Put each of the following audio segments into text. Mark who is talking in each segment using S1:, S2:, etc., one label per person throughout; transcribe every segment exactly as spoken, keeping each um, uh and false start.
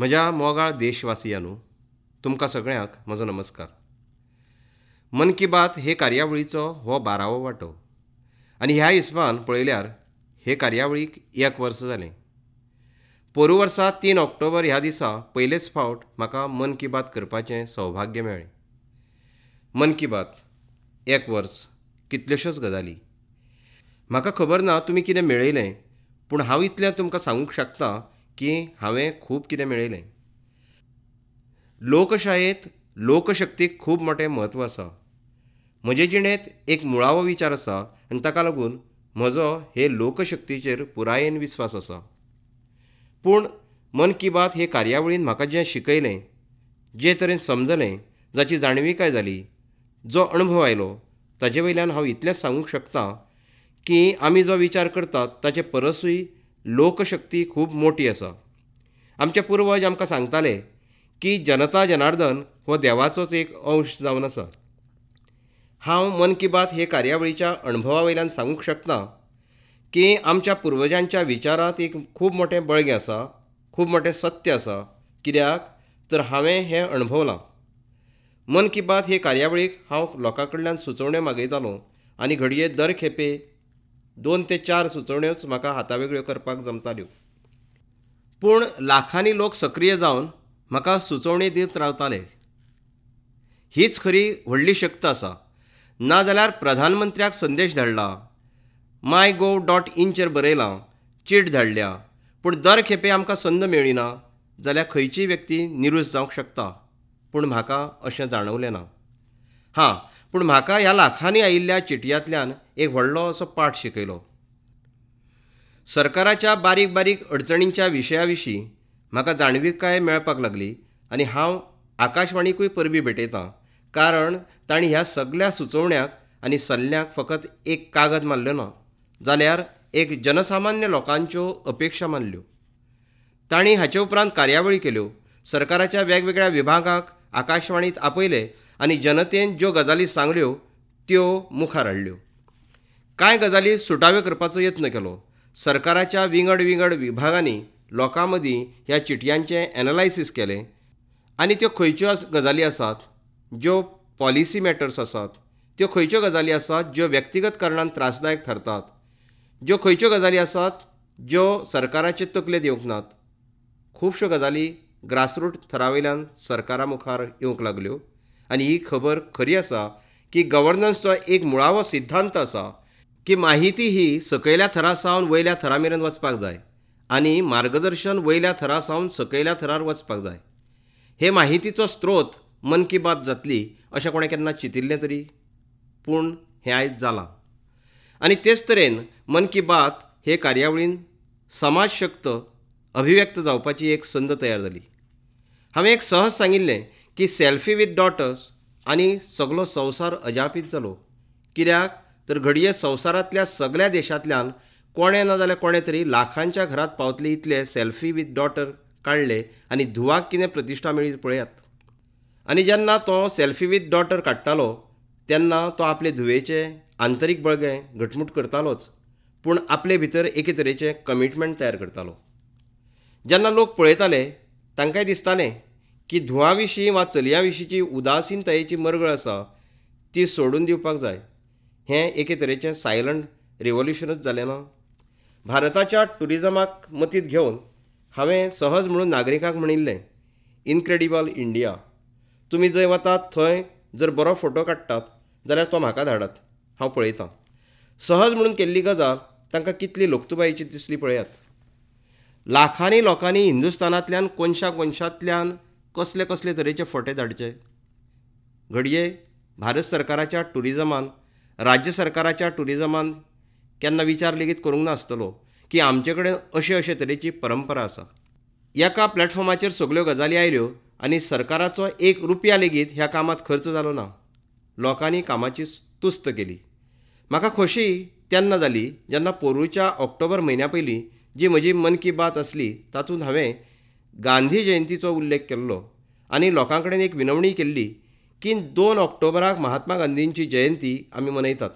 S1: म्हज्या मोगाळ देशवासियांनो, तुमकां सगळ्यांक म्हजो नमस्कार. मन की बात हे कार्यावळीचो हो बारावो वांटो आनी ह्या हिसबान पळयल्यार हे कार्यावळीक एक वर्स जालें. पोरू वर्सा तीन ऑक्टोबर ह्या दिसा पयलेच फावट म्हाका मन की बात करपाचें सौभाग्य मेळ्ळें. मन की बात एक वर्स, कितल्योश्योच गजाली. म्हाका खबर ना तुमी कितें मेळयलें, पूण हांव इतलें तुमकां सांगूंक शकता की हांवें खूब कितें मेळयलें. लोकशायेंत लोकशक्तीक खूब मोटें म्हत्व आसा. म्हजे जिणेंत एक मुळावो विचार आसा आनी ताका लागून म्हजो हे लोकशक्तीचेर पुरायेन विस्वास आसा. पूण मन की बात हे कार्यावळीन म्हाका जें शिकयलें, जे तरेन समजलें, जाची जाणविकाय जाली, जो अणभव आयलो, ताजे वयल्यान हांव इतलेंच सांगूंक शकता की आमी जो विचार करतात ताचे परसूय लोकशक्ती खूब मोटी आसा. आमचे पुर्वज आमकां सांगताले की जनता जनार्दन हो देवाचोच एक अंश जावन आसा. हांव मन की बात हे कार्यावळीच्या अणभवा वयल्यान सांगूंक शकता की आमच्या पुर्वजांच्या विचारांत एक खूब मोटें बळगें आसा, खूब मोटें सत्य आसा. कित्याक तर हांवें हें अणभवलां. मन की बात हे कार्यावळीक हांव लोकां कडल्यान सुचोवण्यो मागयतालो आनी घडये दर खेपे दोन ते चार सुचोवण्योच म्हाका हातावेगळ्यो करपाक जमताल्यो. पूण लाखांनी लोक सक्रीय जावन म्हाका सुचोवणी दित रावताले. हीच खरी व्हडली शक्त आसा. नाजाल्यार प्रधानमंत्र्याक संदेश धाडला, माय गोव डॉट इनचेर बरयलां, चीट धाडल्या, पूण दर खेपे आमकां संद मेळ्ळी ना जाल्यार खंयचीय व्यक्ती निरूस जावंक शकता. पूण म्हाका अशें जाणवलें ना. हां, पूण म्हाका ह्या लाखांनी आयिल्ल्या चिटयांतल्यान एक व्हडलो असो पाठ शिकयलो. सरकाराच्या बारीक बारीक अडचणींच्या विशया विशीं म्हाका जाणविकाय मेळपाक लागली आनी हांव आकाशवाणीकूय परबीं भेटयतां, कारण तांणी ह्या सगल्या सुचोवण्यांक आनी सल्ल्यांक फकत एक कागद मारलें ना, जाल्यार एक जनसामान्य लोकांच्यो अपेक्षा मानल्यो. तांणी हाचे उपरांत कार्यावळी केल्यो, सरकाराच्या वेगवेगळ्या विभागांक आकाशवाणीत आपयले आनी जनतेन ज्यो गजाली सांगल्यो त्यो मुखार हाडल्यो. कांय गजाली सुटाव्यो करपाचो यत्न केलो. सरकाराच्या विंगड विंगड विभागांनी लोकां मदीं ह्या चिटयांचें एनालायसीस केलें आनी त्यो खंयच्यो गजाली आसात ज्यो पॉलिसी मॅटर्स आसात, त्यो खंयच्यो गजाली आसात ज्यो व्यक्तिगत कारणान त्रासदायक थारतात, ज्यो खंयच्यो गजाली आसात ज्यो सरकाराचे तकलेंत येवंक नात. खुबश्यो गजाली ग्रासरूट थरावयल्यान सरकारा मुखार येवंक लागल्यो आनी ही खबर खरी आसा की गव्हर्नन्सचो एक मुळावो सिद्धांत आसा की माहिती ही सकयल्या थरा सावन वयल्या थरा मेरेन वचपाक जाय आनी मार्गदर्शन वयल्या थरा सावन सकयल्या थरार वचपाक जाय. हे माहितीचो स्त्रोत मन की बात जातली अशें कोणें केन्ना चिंतिल्लें तरी? पूण हें आयज जालां. आनी तेच तरेन मन की बात हे कार्यावळीन समाज शक्त अभिव्यक्त जावपाची एक संद तयार जाली. हांवें एक सहज सांगिल्लें की सेल्फी विथ डॉटर्स आनी सगलो संवसार अजापीत जालो. कित्याक तर घडये संवसारांतल्या सगल्या देशांतल्यान कोणें ना जाल्यार कोणें तरी लाखांच्या घरांत पावतले इतले सेल्फी विथ डॉटर काडले आनी धुवाक कितें प्रतिश्ठा मेळ्ळी पळयात. आनी जेन्ना तो सेल्फी विथ डॉटर काडटालो तेन्ना तो आपले धुवेचें आंतरीक बळगें घटमूट करतालोच, पूण आपले भितर एके तरेचें कमिटमेंट तयार करतालो. जेन्ना लोक पळयताले तांकांय दिसतालें की धुवां विशीं वा चलयां विशींची उदासीनतायेची मरगळ आसा ती सोडून दिवपाक जाय. हें एके तरेचें सायलंट रिवोल्युशनूच जालें ना? भारताच्या ट्युरिजमाक मतींत घेवन हांवें सहज म्हणून नागरिकांक म्हणिल्लें, इनक्रेडिबल इंडिया, तुमी जंय वतात थंय जर बरो फोटो काडटात जाल्यार तो म्हाका धाडात, हांव पळयतां. सहज म्हणून केल्ली गजाल तांकां कितली लोकतुबायेची दिसली पळयात. लाखांनी लोकांनी हिंदुस्थानांतल्यान कोनशा कोनशांतल्यान कसले कसले तरेचे फोटे धाडचे. घडये भारत सरकाराच्या ट्युरिजमान, राज्य सरकाराच्या ट्युरिजमान केन्ना विचार लेगीत करूंक नासतलो की आमचे कडेन अशे अशे तरेची परंपरा आसा. एका प्लॅटफॉर्माचेर सगल्यो गजाली आयल्यो आनी सरकाराचो एक रुपया लेगीत ह्या कामांत खर्च जालो ना. लोकांनी कामाची तुस्त केली. म्हाका खोशी तेन्ना जाली जेन्ना पोरूच्या ऑक्टोबर म्हयन्या पयलीं जी म्हजी मन की बात आसली तातूंत हांवें गांधी जयंतीचो उल्लेख केल्लो आनी लोकां कडेन एक विनवणी केल्ली की दोन ऑक्टोबराक महात्मा गांधींची जयंती आमी मनयतात.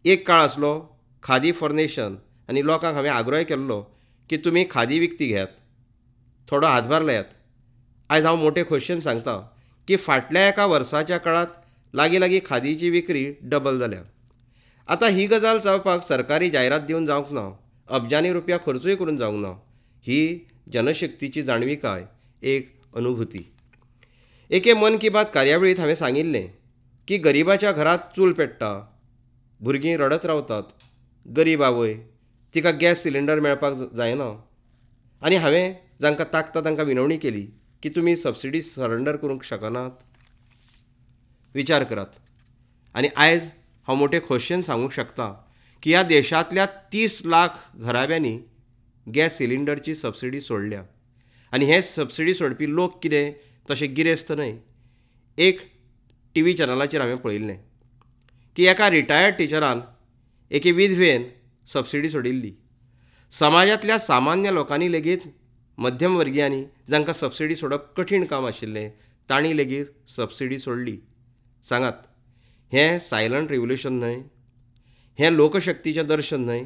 S1: एक काळ आसलो खादी फॉर नेशन आनी लोकांक हांवें आग्रोय केल्लो की तुमी खादी विकती घेयात. थोडो हातभार लायात. आयज हांव मोठे खोशयेन सांगता की फाटल्या एका वर्साच्या काळांत लागीं लागीं खादीची विक्री डबल जाल्या. आतां ही गजाल जावपाक सरकारी जायरात दिवन जावंक ना, अब्जांनी रुपया खर्चूय करून जावंक ना. ही जनशक्तीची जाणविकाय, एक अनुभूती. एके मन की बात कार्यावळींत हांवें सांगिल्लें की गरिबाच्या घरांत चूल पेट्टा, भुरगीं रडत रावतात, गरीब आवय, तिका गॅस सिलिंडर मेळपाक जायना. आनी हांवें जांकां ताकता तांकां विनवणी केली की तुमी सबसिडी सरेंडर करूंक शकनात, विचार करात. आनी आयज हांव मोठे खोशयेन सांगूंक शकता की ह्या देशांतल्या तीस लाख घराब्यांनी गॅस सिलिंडरची सबसिडी सोडल्या. आनी हे सबसिडी सोडपी लोक कितें तशें गिरेस्त न्हय. एक टी व्ही चॅनलाचेर हांवें पळयिल्लें की एका रिटायर्ड टिचरान एके विधवेन सबसिडी सोडिल्ली. समाजांतल्या सामान्य लोकांनी लेगीत, मध्यम वर्गियांनी जांकां सबसिडी सोडप कठीण काम आशिल्लें तांणी लेगीत सबसिडी सोडली. सांगात, हें सायलंट रिव्होल्युशन न्हय? हें लोकशक्तीचें दर्शन न्हय?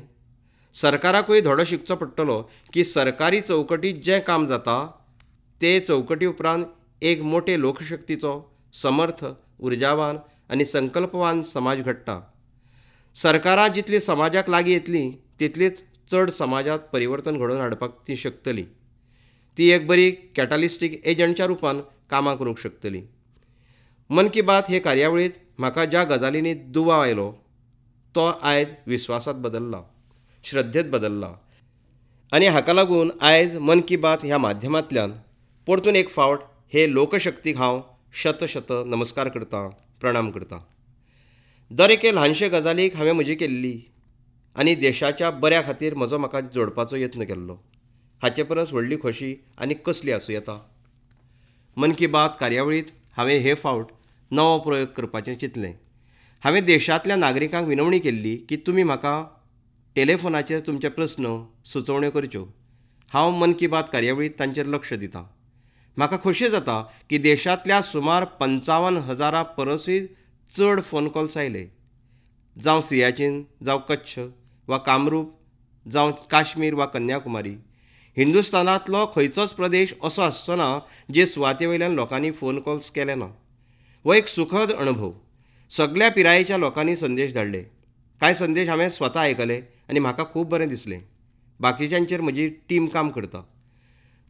S1: सरकाराकूय धडो शिकचो पडटलो की सरकारी चौकटींत जें काम जाता ते चौकटी उपरांत एक मोटे लोकशक्तीचो समर्थ, उर्जावान आनी संकल्पवान समाज घडटा. सरकारां जितली समाजाक लागीं येतलीं तितलीच चड समाजांत परिवर्तन घडोवन हाडपाक ती शकतली. ती एक बरी कॅटालिस्टीक एजंटच्या रुपान कामां करूंक शकतली. मन की बात हे कार्यावळींत म्हाका ज्या गजालींनी दुबाव आयलो तो आयज विस्वासांत बदल्ला, श्रद्धेंत बदल्ला. आनी हाका लागून आयज मन की बात ह्या माध्यमांतल्यान परतून एक फावट हे लोकशक्तीक हांव शत शत नमस्कार करतां, प्रणाम करतां. दर एके ल्हानशे गजालीक हांवें म्हजी केल्ली आनी देशाच्या बऱ्या खातीर म्हजो म्हाका जोडपाचो यत्न केल्लो. हाचे परस व्हडली खोशी आनी कसली आसूं येता? मन की बात कार्यावळींत हांवें हे फावट नवो प्रयोग करपाचें चिंतलें. हांवें देशांतल्या नागरिकांक विनवणी केल्ली की तुमी म्हाका टेलिफोनाचेर तुमचे प्रस्न, सुचोवण्यो करच्यो. हांव मन की बात कार्यावळींत तांचेर लक्ष दितां. म्हाका खोशी जाता की देशांतल्या सुमार पंचावन हजारां परसूय चड फोन कॉल्स आयले. जावं सियाचीन, जावं कच्छ वा कामरूप, जावं काश्मीर वा कन्याकुमारी, हिंदुस्थानांतलो खंयचोच प्रदेश असो आसचो ना जे सुवाते वयल्यान लोकांनी फोन कॉल्स केले ना. हो एक सुखद अणभव. सगल्या पिरायेच्या लोकांनी संदेश धाडले. कांय संदेश हांवें स्वता आयकले आनी म्हाका खूब बरें दिसलें. बाकीच्यांचेर म्हजी टीम काम करता.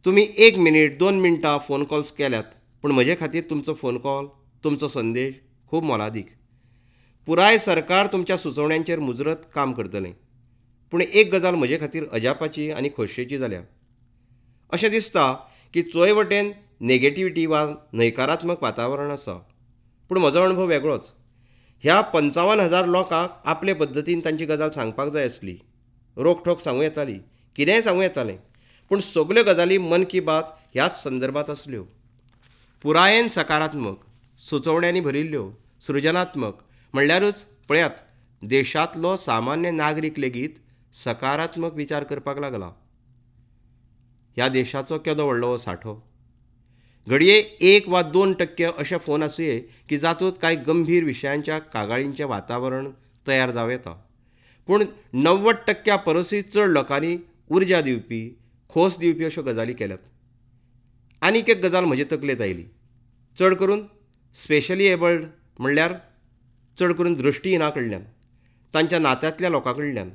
S1: तुमी एक मिनीट, दोन मिनटां फोन कॉल्स केल्यात, पूण म्हजे खातीर तुमचो फोन कॉल, तुमचो संदेश खूब मोलादीक. पुराय सरकार तुमच्या सुचोवण्यांचेर मुजरत काम करतलें. पूण एक गजाल म्हजे खातीर अजापाची आनी खोशयेची जाल्या. अशें दिसता की चोंय वटेन नेगेटिविटी वा न्हयकारात्मक वातावरण आसा, पूण म्हजो अणभव वेगळोच. ह्या पंचावन हजार लोकांक आपले पद्दतीन तांची गजाल सांगपाक जाय आसली. रोखठोक सांगूं येताली, कितेंय सांगूं येतालें, पूण सगल्यो गजाली मन की बात ह्याच संदर्भांत आसल्यो. पुरायेन सकारात्मक, सुचोवण्यांनी भरिल्ल्यो, सृजनात्मक. म्हणल्यारूच पळयात, देशांतलो सामान्य नागरीक लेगीत सकारात्मक विचार करपाक लागला. ह्या देशाचो केदो व्हडलो हो सांठो. घडये एक वा दोन टक्के अशे फोन आसुये की जातूंत कांय गंभीर विशयांच्या कागाळींचें वातावरण तयार जावं येता, पूण णव्वद टक्क्या परसूय चड लोकांनी उर्जा दिवपी, खोस दिवपी अश्यो गजाली केल्यात. आनीक एक गजाल म्हजे तकलेंत आयली. चड करून स्पेशली एबल्ड म्हणल्यार चड करून दृश्टीहिना कडल्यान, तांच्या नात्यांतल्या लोकां कडल्यान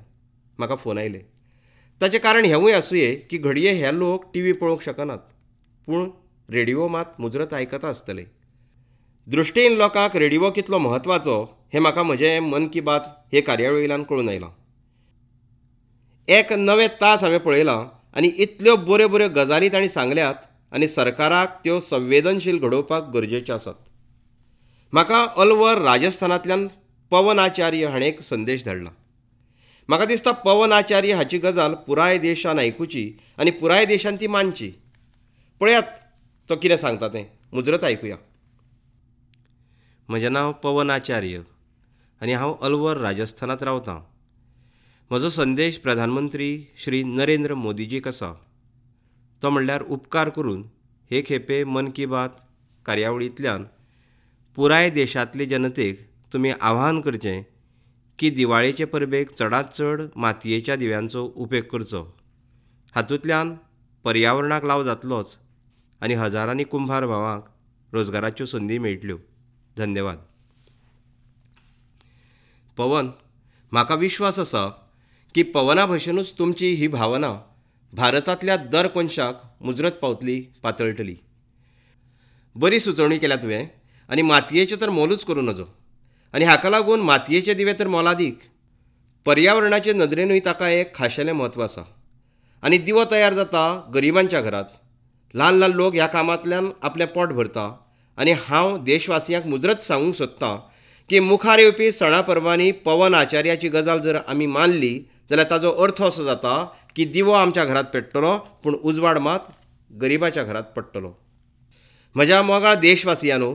S1: म्हाका फोन आयले. ताचें कारण हेंवूय आसुये की घडये हे लोक टी व्ही पळोवंक शकनात, पूण रेडिओ मात मुजरत आयकता आसतले. दृश्टीहीन लोकांक रेडिओ कितलो म्हत्वाचो हें म्हाका म्हजें मन की बात हे कार्यावळींतल्यान कळून आयलां. एक नवे तास हांवें पळयलां आनी इतल्यो बऱ्यो बऱ्यो गजाली तांणी सांगल्यात आनी सरकाराक त्यो संवेदनशील घडोवपाक गरजेच्यो आसात. म्हाका अलवर राजस्थानांतल्यान पवन आचार्य हाणें एक संदेश धाडला. म्हाका दिसता पवन आचार्य हाची गजाल पुराय देशान आयकुची आनी पुराय देशान ती मानची. पळयात तो कितें सांगता तें, मुजरत आयकुया. म्हजें नांव पवन आचार्य आनी हांव अलवर राजस्थानांत रावतां. म्हजो संदेश प्रधानमंत्री श्री नरेंद्र मोदीजीक आसा. तो म्हणल्यार उपकार करून हे खेपे मन की बात कार्यावळींतल्यान पुराय देशांतले जनतेक तुमी आवाहन करचें की दिवाळेचे परबेक चडांत चड मातयेच्या दिव्यांचो उपेग करचो. हातूंतल्यान पर्यावरणाक लाव जातलोच आनी हजारांनी कुंभार भावांक रोजगाराच्यो संदी मेळटल्यो. धन्यवाद. पवन, म्हाका विश्वास आसा की पवना भशेनूच तुमची ही भावना भारतांतल्या दर कोनशाक मुजरत पावतली, पातळटली. बरी सुचोवणी केल्या तुवें आनी मातयेचें तर मोलूच करूं नजो आनी हाका लागून मातयेचे दिवे तर मोलादीक. पर्यावरणाचे नदरेनूय ताका एक खाशेलें म्हत्व आसा आनी दिवो तयार जाता गरिबांच्या घरांत. ल्हान ल्हान लोक ह्या कामांतल्यान आपलें पोट भरता आनी हांव देशवासियांक मुजरत सांगूंक सोदतां की मुखार येवपी सणा परबांनी पवन आचार्याची गजाल जर आमी मानली जाल्यार ताजो अर्थ असो जाता की दिवो आमच्या घरांत पेट्टलो पूण उजवाड मात गरिबाच्या घरांत पडटलो. म्हज्या मोगाळ देशवासियांनो,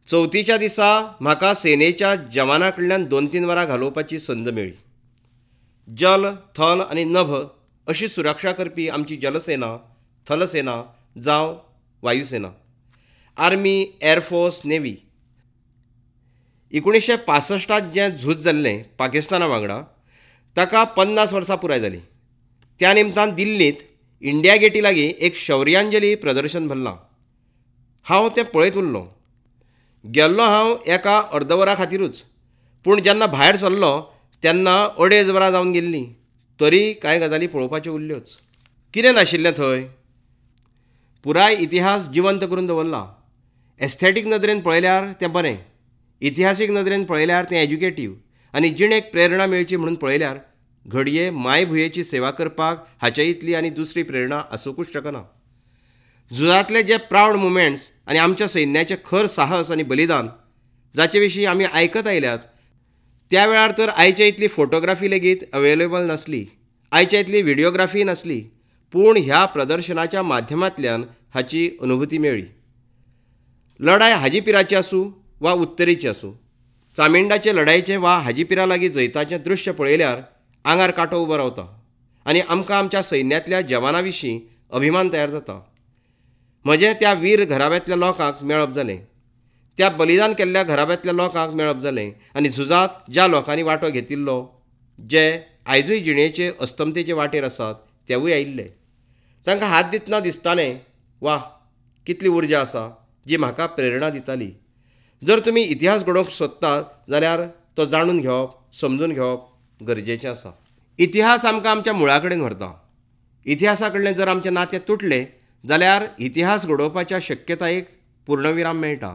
S1: चवथीच्या दिसा म्हाका सेनेच्या जवाना कडल्यान दोन तीन वरां घालोवपाची संद मेळ्ळी. जल, थल आनी नभ अशी सुरक्षा करपी आमची जलसेना, थलसेना जावं वायुसेना, आर्मी, एअरफोर्स, नेव्ही. एकुणीशें पासश्टांत जें झूज जाल्लें पाकिस्ताना वांगडा ताका पन्नास वर्सां पुराय जालीं. त्या निमतान दिल्लींत इंडिया गेटी लागीं एक शौर्यांजली प्रदर्शन भरलां. हांव तें पळयत उरलों. गेल्लो हांव एका अर्द वरा खातीरूच, पूण जेन्ना भायर सरलो तेन्ना अडेज वरां जावन गेल्लीं, तरी कांय गजाली पळोवपाच्यो उरल्योच. कितें नाशिल्लें थंय? पुराय इतिहास जिवंत करून दवरला. एस्थेटीक नदरेन पळयल्यार तें बरें, इतिहासीक नदरेन पळयल्यार तें एज्युकेटीव आनी जिणेक प्रेरणा मेळची म्हणून पळयल्यार घडये मायभुंयेची सेवा करपाक हाचे इतली आनी दुसरी प्रेरणा आसूंकूच शकना. झुजांतले जे प्रावड मुवमेंट्स आनी आमच्या सैन्याचें खर साहस आनी बलिदान जाचे विशीं आमी आयकत आयल्यात, त्या वेळार तर आयचे इतली फोटोग्राफी लेगीत अवेलेबल नासली, आयच्या इतली व्हिडियोग्राफी नासली, पूण ह्या प्रदर्शनाच्या माध्यमांतल्यान हाची अनुभूती मेळ्ळी. लढाय हाजीपिराची आसूं वा उत्तरेची आसूं, चामिंडाचे लढायेचें वा हाजीपिरा लागीं जैताचें दृश्य पळयल्यार आंगार कांटो उबो रावता आनी आमकां आमच्या सैन्यांतल्या जवानां विशीं अभिमान तयार जाता. म्हजें त्या वीर घराब्यांतल्या लोकांक मेळप जालें, त्या बलिदान केल्ल्या घराब्यांतल्या लोकांक मेळप जालें आनी झुजांत ज्या लोकांनी वांटो घेतिल्लो, जे आयजूय जिणेचे अस्तमतेचे वाटेर आसात, तेवूय आयिल्ले. तांकां हात दितना दिसतालें, वा कितली उर्जा आसा जी म्हाका प्रेरणा दिताली. जर तुमी इतिहास घडोवंक सोदतात जाल्यार तो जाणून घेवप, समजून घेवप गरजेचें आसा. इतिहास आमकां आमच्या मुळा कडेन व्हरता. इतिहासा कडलें जर आमचें नातें तुटलें जाल्यार इतिहास घडोवपाच्या शक्यतायेक पूर्णविराम मेळटा.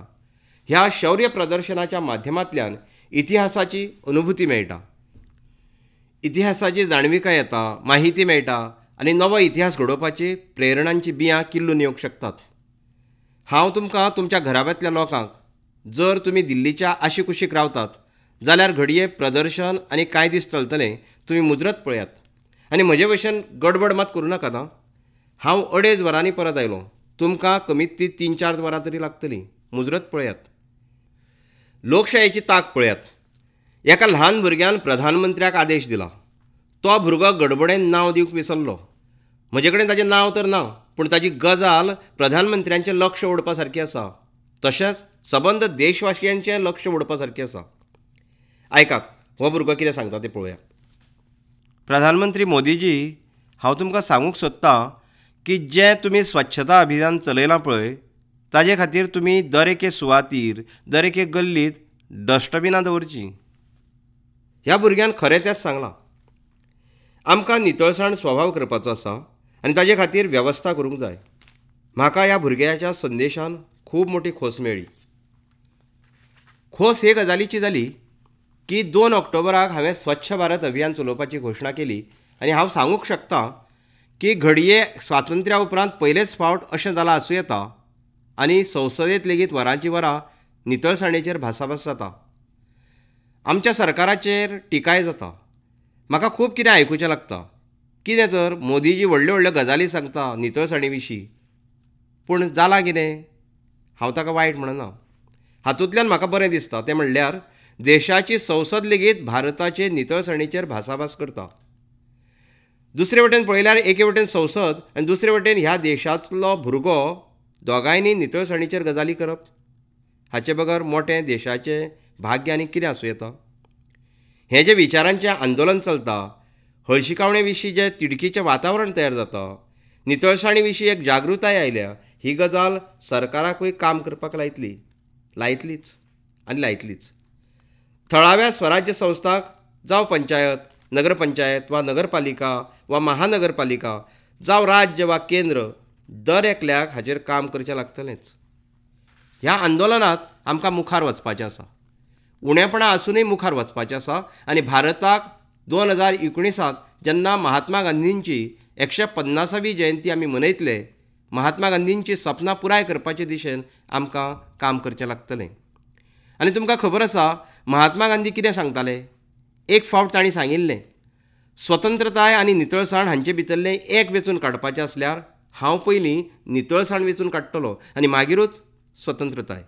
S1: ह्या शौर्य प्रदर्शनाच्या माध्यमांतल्यान इतिहासाची अनुभूती मेळटा, इतिहासाची जाणविकाय येता, माहिती मेळटा आनी नवो इतिहास घडोवपाची प्रेरणांची बियां किल्लून येवंक शकतात. हांव तुमकां तुमच्या घराब्यांतल्या लोकांक, जर तुमी दिल्लीच्या आशीकुशीक रावतात जाल्यार घडये प्रदर्शन आनी कांय दीस चलतलें, तुमी मुजरत पळयात आनी म्हजे भशेन गडबड मात करूं नाकात. आं, हांव अडेज वरांनी परत आयलो, तुमकां कमीत ती तीन चार वरां तरी लागतलीं. मुजरत पळयात. लोकशायेची तांक पळयात. एका ल्हान भुरग्यान प्रधानमंत्र्याक आदेश दिला. तो भुरगो गडबडेन नांव दिवंक विसरलो. म्हजे कडेन ताजें नांव तर ना, पूण ताजी गजाल प्रधानमंत्र्यांचें लक्ष ओडपा सारकी आसा, तशेंच सबंद देशवासियांचें लक्ष ओडपा सारकें आसा. आयकात, हो भुरगो कितें सांगता तें पळोवया. प्रधानमंत्री मोदीजी, हांव तुमकां सांगूंक सोदतां की जें तुमी स्वच्छता अभियान चलयलां पळय, ताजे खातीर तुमी दर एके सुवातीर, दर एके गल्लीत डस्टबिनां दवरचीं. ह्या भुरग्यान खरें तेंच सांगलां. आमकां नितळसाण स्वभाव करपाचो आसा आनी ताजे खातीर वेवस्था करूंक जाय. म्हाका ह्या भुरग्याच्या संदेशान खूब मोटी खोस मेळ्ळी. खोस हे गजालीची जाली की दोन ऑक्टोबराक हांवें स्वच्छ भारत अभियान चलोवपाची घोशणा केली आनी हांव सांगूंक शकता की घडये स्वातंत्र्या उपरांत पयलेच फावट अशें जालां आसूं येता आनी संसदेंत लेगीत वरांची वरां नितळसाणेचेर भासाभास जाता. आमच्या सरकाराचेर टिकाय जाता. म्हाका खूब कितें आयकुचें लागता. कितें तर मोदीजी व्हडल्यो व्हडल्यो गजाली सांगता नितळसाणे विशीं, पूण जालां कितें? हांव ताका वायट म्हणना. हातूंतल्यान म्हाका बरें दिसता तें म्हणल्यार देशाची संसद लेगीत भारताचे नितळसाणेचेर भासाभास करता. दुसरे वटेन पळयल्यार एके वटेन संसद आनी दुसरे वटेन ह्या देशांतलो भुरगो, दोगांयनी नितळसाणीचेर गजाली करप, हाचे बगर मोटें देशाचें भाग्य आनी कितें आसूं येता? हें जें विचारांचें आंदोलन चलता, हळशिकावणे विशीं जें तिडकीचें वातावरण तयार जाता, नितळसाणी विशीं एक जागृताय आयल्या. ही गजाल सरकाराकूय काम करपाक लायतली, लायतलीच आनी लायतलीच. थळाव्या स्वराज्य संस्थांक जावं पंचायत, नगरपंचायत वा नगरपालिका वा महानगरपालिका जावं राज्य वा केंद्र, दर एकल्याक हाचेर काम करचें लागतलेंच. ह्या आंदोलनांत आमकां मुखार वचपाचें आसा, उणेपणां आसुनूय मुखार वचपाचें आसा. आनी भारताक दोन हजार एकुणिसांत जेन्ना महात्मा गांधींची एकशे पन्नासावी जयंती आमी मनयतले, महात्मा गांधींची सपनां पुराय करपाचे दिशेन आमकां काम करचें लागतलें. आनी तुमकां खबर आसा महात्मा गांधी कितें सांगताले? एक फावट तांणी सांगिल्लें, स्वतंत्रताय आनी नितळसाण हांचे भितरलें एक वेंचून काडपाचें आसल्यार हांव पयलीं नितळसाण वेंचून काडटलो आनी मागीरूच स्वतंत्रताय.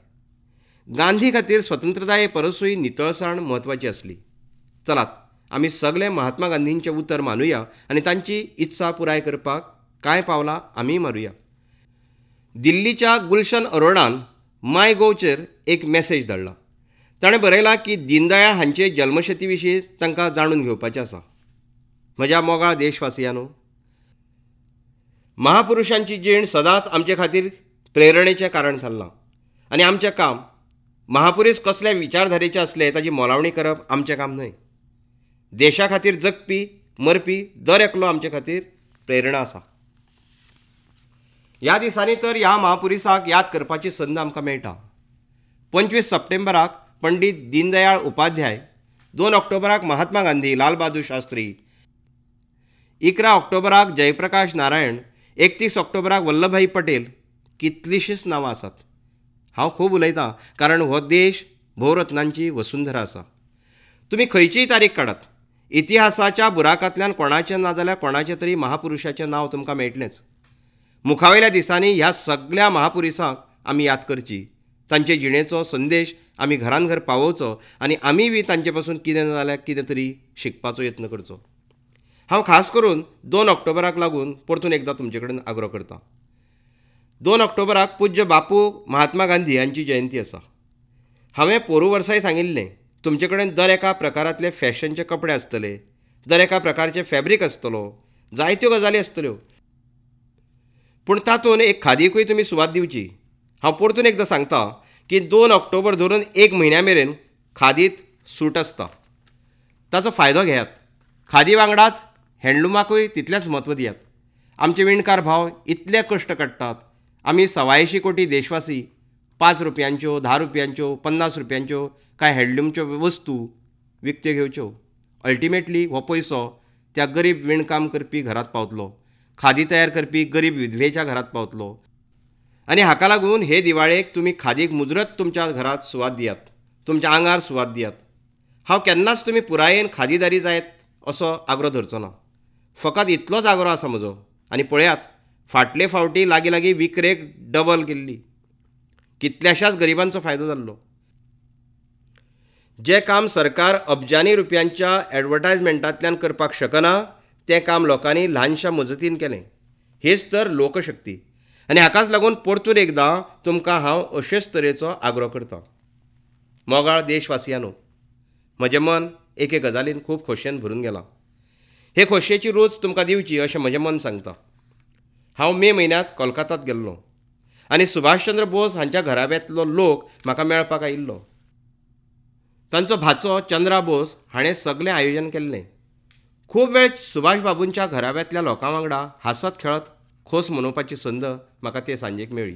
S1: गांधी खातीर स्वतंत्रताये परसूय नितळसाण म्हत्वाची आसली. चलात आमी सगळे महात्मा गांधींचें उतर मानुया आनी तांची इत्सा पुराय करपाक कांय पावलां आमीय मारुया. दिल्लीच्या गुलशन अरोडान माय गोवचेर एक मॅसेज धाडला. ताणें बरयलां की दीनदयाळ हांचे जल्मशती विशीं तांकां जाणून घेवपाचें आसा. म्हज्या मोगाळ देशवासियांनो, महापुरुशांची जीण सदांच आमचे खातीर प्रेरणेचें कारण थारलां आनी आमचें काम महापुरूस कसल्या विचारधारेचे आसले ताची मोलावणी करप आमचें काम न्हय. देशा खातीर जगपी मरपी दर एकलो आमचे खातीर प्रेरणा आसा. ह्या दिसांनी तर ह्या महापुरुसाक याद करपाची संद आमकां मेळटा. पंचवीस सप्टेंबराक पंडित दीनदयाळ उपाध्याय, दोन ऑक्टोबराक महात्मा गांधी, लाल बहादूर शास्त्री, इकरा ऑक्टोबराक जयप्रकाश नारायण, एकतीस ऑक्टोबराक वल्लभभाई पटेल, कितलींशींच नांवां आसात. हांव खूब उलयतां कारण हो देश भोवरत्नांची वसुंधरा आसा. तुमी खंयचीय तारीख काडात, इतिहासाच्या बुराकांतल्यान कोणाचें ना जाल्यार कोणाचें तरी महापुरुशाचें नांव तुमकां मेळटलेंच. मुखावेल्या दिसांनी ह्या सगळ्या महापुरुसांक आमी याद करची, तांचे जिणेचो संदेश आमी घरान घर पावोवचो आनी आमी बी तांचे पासून कितें ना जाल्यार कितें तरी शिकपाचो यत्न करचो. हांव खास करून दोन ऑक्टोबराक लागून परतून एकदां तुमचे कडेन आग्रो करतां. दोन ऑक्टोबराक पूज्य बापू महात्मा गांधी हांची जयंती आसा. हांवें पोरूं वर्साय सांगिल्लें, तुमचे कडेन दर एका प्रकारांतले फॅशनचे कपडे आसतले, दर एका प्रकारचें फॅब्रीक आसतलो, जायत्यो गजाली आसतल्यो, पूण तातूंत एक खादीकूय तुमी सुवात दिवची. हांव परतून एकदां सांगता की दोन ऑक्टोबर धरून एक म्हयन्या मेरेन खादीत सूट आसता, ताचो फायदो घेयात. खादी वांगडाच हँडलुमाकूय तितलेंच म्हत्व दियात. आमचे विणकार भाव इतले कश्ट काडटात. आमी सवायशीं कोटी देशवासी पांच रुपयांच्यो, धा रुपयांच्यो, पन्नास रुपयांच्यो कांय हँडलूमच्यो वस्तू विकत्यो घेवच्यो. अल्टिमेटली हो पयसो त्या गरीब विणकाम करपी घरांत पावतलो, खादी तयार करपी गरीब विधवेच्या घरांत पावतलो. आनी हाका लागून हे दिवाळेक तुमी खादीक मुजरत तुमच्या घरांत सुवात दियात, तुमच्या आंगार सुवात दियात. हांव केन्नाच तुमी पुरायेन खादीदारी जायत असो आग्रो धरचो ना, फकत इतलोच आग्रो आसा म्हजो. आनी पळयात, फाटले फावटी लागीं लागीं विक्रेक डबल केल्ली, कितल्याशाच गरिबांचो फायदो जाल्लो. जें काम सरकार अब्जानी रुपयांच्या एडवर्टायजमेंटांतल्यान करपाक शकना तें काम लोकांनी ल्हानशा मजतीन केलें. हीच तर लोकशक्ती. आनी हाकाच लागून परतून एकदां तुमकां हांव अशेच तरेचो आग्रो करतां. मोगाळ देशवासियांनो, म्हजें मन एके गजालीन खूब खोशयेन भरून गेलां. हे खोशयेची रूच तुमकां दिवची अशें म्हजें मन सांगता. हांव मे म्हयन्यांत कोलकातात गेल्लो आनी सुभाषचंद्र बोस हांच्या घराब्यांतलो लोक म्हाका मेळपाक आयिल्लो. तांचो भाचो चंद्रा बोस हाणें सगळें आयोजन केल्लें. खूब वेळ सुभाष बाबूंच्या घराब्यांतल्या लोकां वांगडा हांसत खेळत खोस मनोवपाची संद म्हाका ते सांजेक मेळ्ळी.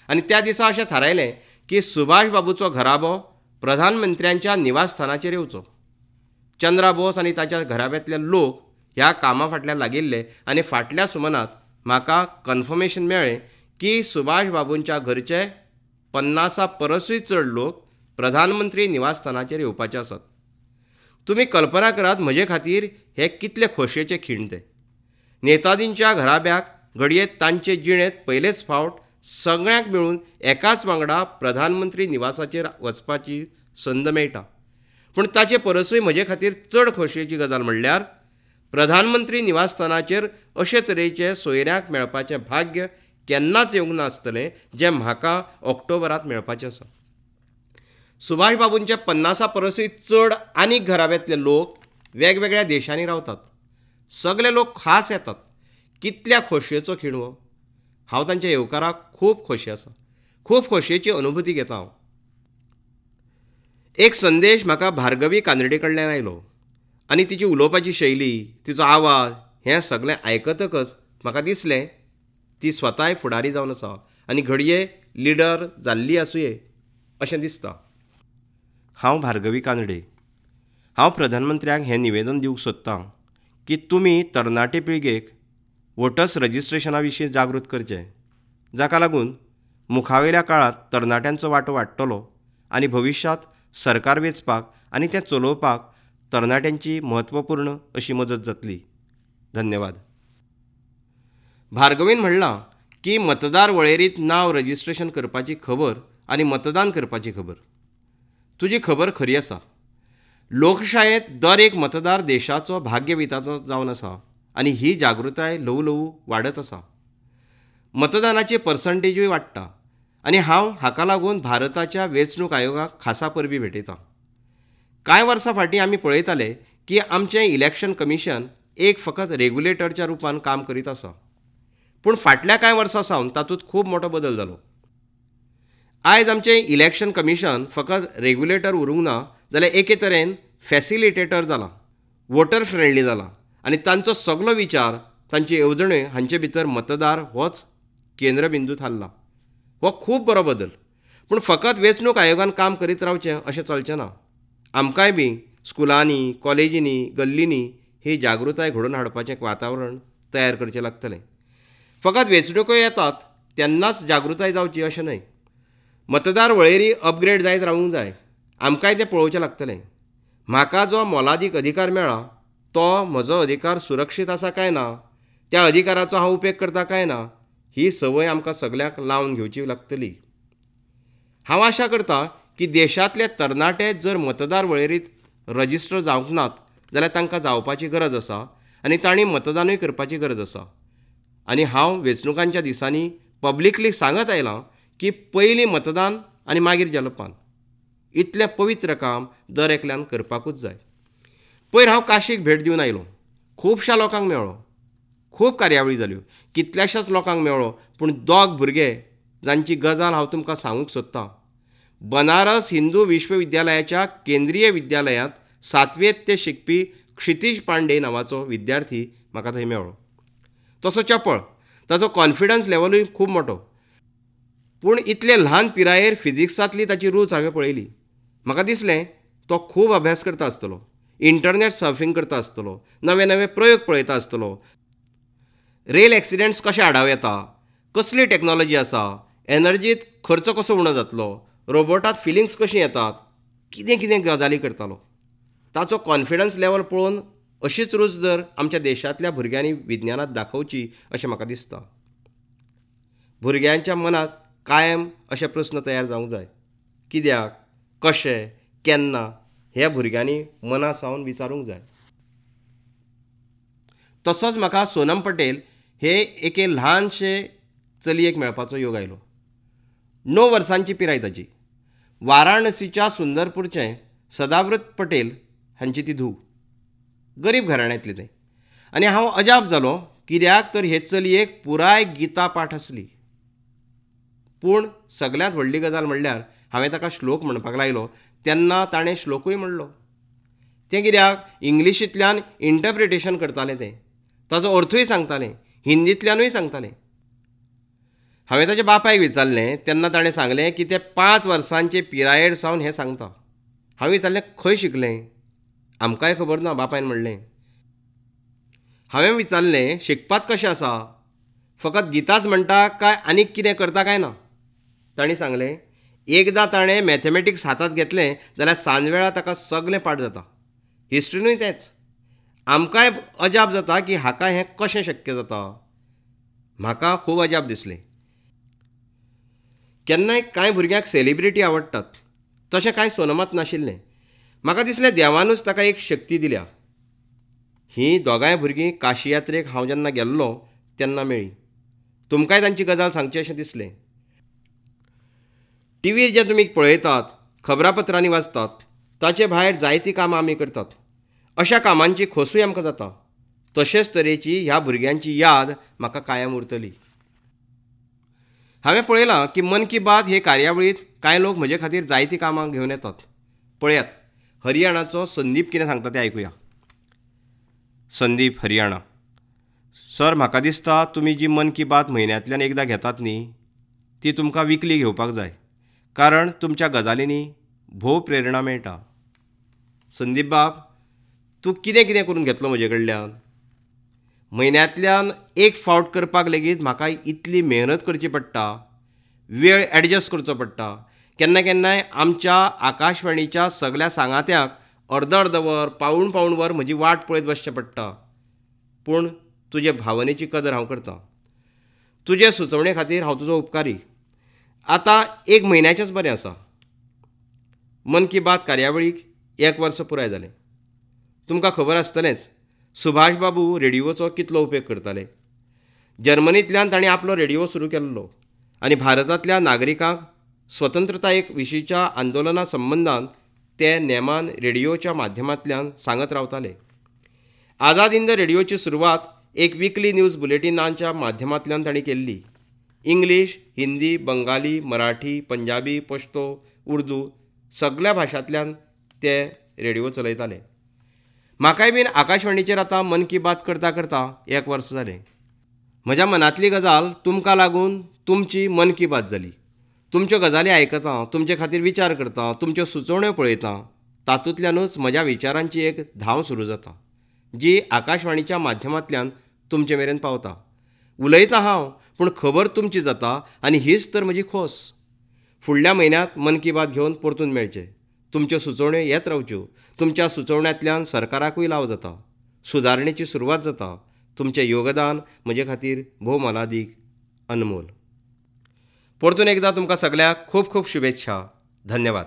S1: आनी त्या दिसा अशें थारायलें की सुभाष बाबूचो घराबो प्रधानमंत्र्यांच्या निवासस्थानाचेर येवचो. चंद्रा बोस आनी ताच्या घराब्यांतले लोक ह्या कामा फाटल्यान लागिल्ले आनी फाटल्या सुमनात म्हाका कन्फर्मेशन मेळ्ळें की सुभाष बाबूंच्या घरचे पन्नासा परसूय चड लोक प्रधानमंत्री निवासस्थानाचेर येवपाचे आसात. तुमी कल्पना करात म्हजे खातीर हे कितले खोशयेचे खीण ते. नेताजींच्या घराब्याक घडये तांचे जिणेंत पयलेच फावट सगळ्यांक मेळून एकाच वांगडा प्रधानमंत्री निवासाचेर वचपाची संद मेळटा. पूण ताचे परसूय म्हजे खातीर चड खोशयेची गजाल म्हणल्यार प्रधानमंत्री निवासस्थानाचेर अशे तरेचे सोयऱ्यांक मेळपाचें भाग्य केन्नाच येवंक नासतलें जें म्हाका ऑक्टोबरांत मेळपाचें आसा. सुभाष बाबूंचे पन्नासा परसूय चड आनीक घराब्यांतले लोक वेगवेगळ्या देशांनी रावतात. सगळे लोक खास येतात. कितल्या खोशयेचो खीण हो. हांव तांच्या येवकाराक खूब खोशी आसा, खूब खोशयेची अनुभूती घेता हांव. एक संदेश म्हाका भार्गवी कानडे कडल्यान आयलो आनी तिची उलोवपाची शैली, तिचो आवाज हें सगळें आयकतकच म्हाका दिसलें ती स्वताय फुडारी जावन आसा आनी घडये लिडर जाल्ली आसुये अशें दिसता. हांव भार्गवी कानडे. हांव प्रधानमंत्र्यांक हें निवेदन दिवंक सोदतां की तुमी तरणाटे पिळगेक वोटर्स रजिस्ट्रेशना विशीं जागृत करचें, जाका लागून मुखावेल्या काळांत तरणाट्यांचो वांटो वाडटलो आनी भविश्यांत सरकार वेंचपाक आनी तें चलोवपाक तरणाट्यांची म्हत्वपूर्ण अशी मजत जातली. धन्यवाद. भार्गवीन म्हणलां की मतदार वळेरींत नांव रजिस्ट्रेशन करपाची खबर आनी मतदान करपाची खबर. तुजी खबर खरी आसा. लोकशायेंत दर एक मतदार देशाचो भाग्यविधातो जावन आसा आनी ही जागृताय ल्हवू ल्हवू वाडत आसा. मतदानाची पर्संटेजूय वाडटा आनी हांव हाका लागून भारताच्या वेंचणूक आयोगाक खासा परबीं भेटयतां. कांय वर्सां फाटीं आमी पळयताले की आमचें इलेक्शन कमिशन एक फकत रेग्युलेटरच्या रुपान काम करीत आसा, पूण फाटल्या कांय वर्सां सावन तातूंत खूब मोटो बदल जालो. आयज आमचें इलेक्शन कमिशन फकत रेग्युलेटर उरूंक ना जाल्यार एके तरेन फॅसिलिटेटर जालां, वोटर फ्रेंडली जालां आनी तांचो सगलो विचार, तांची येवजण्यो हांचे भितर मतदार होच केंद्रबिंदू थारला. हो खूब बरो बदल, पूण फकत वेंचणूक आयोगान काम करीत रावचें अशें चलचें ना. आमकांय बी स्कुलांनी, कॉलेजींनी, गल्लींनी ही जागृताय घडोवन हाडपाचें वातावरण तयार करचें लागतलें. फकत वेंचणुको येतात तेन्नाच जागृताय जावची अशें न्हय. मतदार वळेरी अपग्रेड जायत रावूंक जाय. आमकांय तें पळोवचें लागतलें. म्हाका जो मोलादीक अधिकार मेळ्ळा तो म्हजो अधिकार सुरक्षीत आसा काय ना, त्या अधिकाराचो हांव उपेग करता काय ना, ही संवय आमकां सगल्यांक लावन घेवची लागतली. हांव आशा करता की देशांतले तरणाटे जर मतदार वळेरींत रजिस्टर जावंक नात जाल्यार तांकां जावपाची गरज आसा आनी तांणी मतदानूय करपाची गरज आसा. आनी हांव वेंचणुकांच्या दिसांनी पब्लिकली सांगत आयलां की पयलीं मतदान आनी मागीर जलपान. इतलें पवित्र काम दर एकल्यान करपाकूच जाय. पयर हांव काशीक भेट दिवन आयलो. खुबश्या लोकांक मेळ्ळो, खूब कार्यावळी जाल्यो, कितल्याशाच लोकांक मेळ्ळो, पूण दोग भुरगे जांची गजाल हांव तुमकां सांगूंक सोदतां. बनारस हिंदू विश्वविद्यालयाच्या केंद्रीय विद्यालयांत सातवेंत ते शिकपी क्षितीज पांडे नांवाचो विद्यार्थी म्हाका थंय मेळ्ळो. तसो चपळ, ताचो कॉन्फिडन्स लेवलूय खूब मोटो, पूण इतले ल्हान पिरायेर फिजिक्सांतली ताची रूच हांवें पळयली. म्हाका दिसलें तो खूब अभ्यास करता आसतलो, इंटरनेट सर्फिंग करता आसतलो, नवे नवे प्रयोग पळयता आसतलो, रेल एक्सिडेंट्स कशे आडावं येता, कसली टॅक्नोलॉजी आसा, एनर्जीत खर्च कसो उणो जातलो, रोबोटात फिलिंग्स कशीं येतात, कितें कितें गजाली करतालो. ताचो कॉन्फिडन्स लेवल पळोवन अशीच रूच जर आमच्या देशांतल्या भुरग्यांनी विज्ञानांत दाखोवची अशें म्हाका दिसता. भुरग्यांच्या मनांत कायम अशे प्रस्न तयार जावंक जाय, कित्याक, कशें, केन्ना, हे भुरग्यांनी मना सावन विचारूंक जाय. तसोच म्हाका सोनम पटेल हे एके ल्हानशे चलयेक मेळपाचो योग आयलो. णव वर्सांची पिराय ताची. वाराणसीच्या सुंदरपूरचें सदाव्रत पटेल हांची ती धूव. गरीब घराण्यांतली तें. आनी हांव अजाप जालो कित्याक तर हे चलयेक पुराय गीता पाठ आसली. पूण सगल्यांत व्हडली गजाल म्हणल्यार हांवें ताका श्लोक म्हणपाक लायलो तेन्ना ताणें श्लोकूय म्हणलो. तें कित्याक इंग्लिशींतल्यान इंटरप्रिटेशन करतालें तें, ताचो अर्थूय सांगतालें, हिंदींतल्यानूय सांगतालें. हांवें ताच्या बापायक विचारलें तेन्ना ताणें सांगलें की तें पांच वर्सांचे पिरायेर सावन हें सांगता. हांवें विचारलें खंय शिकलें? आमकांय खबर ना, बापायन म्हणलें. हांवें विचारलें शिकपात कशें आसा, फकत गीताच म्हणटा काय आनीक कितें करता काय ना? तांणी सांगलें एकदां ताणें मॅथमॅटिक्स हातांत घेतलें जाल्यार सांजवेळा ताका सगलें पाठ जाता. हिस्ट्रीनूय तेंच. आमकांय अजाप जाता की हाका हें कशें शक्य जाता. म्हाका खूब अजाप दिसलें. केन्नाय कांय भुरग्यांक सेलिब्रिटी आवडटात, तशें कांय सोनमात नाशिल्लें. म्हाका दिसलें देवानूच ताका एक शक्ती दिल्या. हीं दोगांय भुरगीं काशी यात्रेक हांव जेन्ना गेल्लो तेन्ना मेळ्ळीं. तुमकांय तांची गजाल सांगची अशें दिसलें. टिवीर जें तुमी पळयतात, खबरापत्रांनी वाचतात, ताचे भायर जायतीं कामां आमी करतात. अशा कामांची खोसूय आमकां जाता. तशेंच तरेची ह्या भुरग्यांची याद म्हाका कायम उरतली. हांवें पळयलां की मन की बात हे कार्यावळींत कांय लोक म्हजे खातीर जायतीं कामां घेवन येतात. पळयात हरियाणाचो संदीप कितें सांगता तें आयकुया. संदीप, हरियाणा. सर, म्हाका दिसता तुमी जी मन की बात म्हयन्यांतल्यान एकदां घेतात न्ही, ती तुमकां विकली घेवपाक जाय, कारण तुमच्या गजालींनी भोव प्रेरणा मेळटा. संदीप बाब, तूं कितें कितें करून घेतलो म्हजे कडल्यान? म्हयन्यांतल्यान एक फावट करपाक लेगीत म्हाका इतली मेहनत करची पडटा, वेळ एडजस्ट करचो पडटा. केन्ना केन्नाय आमच्या आकाशवाणीच्या सगल्या सांगात्यांक अर्द अर्द वर, पावूण पावूण वर म्हजी वाट पळयत बसचें पडटा. पूण तुजे भावनेची कदर हांव करतां. तुजे सुचोवणे खातीर हांव तुजो उपकारी. आतां एक म्हयन्याचेंच बरें आसा. मन की बात कार्यावळीक एक वर्स पुराय जालें. तुमकां खबर आसतलेंच सुभाष बाबू रेडिओचो कितलो उपेग करताले. जर्मनींतल्यान तांणी आपलो रेडिओ सुरू केल्लो आनी भारतांतल्या नागरिकांक स्वतंत्रताये विशींच्या आंदोलना संबंदान ते नेमान रेडिओच्या माध्यमांतल्यान सांगत रावताले. आझाद हिंद रेडिओची सुरवात एक विकली न्यूज बुलेटिनांच्या माध्यमांतल्यान तांणी केल्ली. इंग्लीश, हिंदी, बंगाली, मराठी, पंजाबी, पश्तो, उर्दू सगल्या भाशांतल्यान ते रेडिओ चलयताले. म्हाकाय बीन आकाशवाणीचेर आतां मन की बात करता करता एक वर्स जालें. म्हज्या मनांतली गजाल तुमकां लागून तुमची मन की बात जाली. तुमच्यो गजाली आयकतां, तुमचे खातीर विचार करतां, तुमच्यो सुचोवण्यो पळयतां, तातूंतल्यानूच म्हज्या विचारांची एक धांव सुरू जाता, जी आकाशवाणीच्या माध्यमांतल्यान तुमचे मेरेन पावता. उलयतां हांव, पूण खबर तुमची जाता आनी हीच तर म्हजी खोस. फुडल्या म्हयन्यांत मन की बात घेवन परतून मेळचें. तुमच्यो सुचोवण्यो येत रावच्यो. तुमच्या सुचोवण्यांतल्यान सरकाराकूय लाव जाता, सुदारणेची सुरवात जाता. तुमचें योगदान म्हजे खातीर भोव मोलादीक, अनमोल. परतून एकदां तुमकां सगल्यांक खूब खूब शुभेच्छा. धन्यवाद.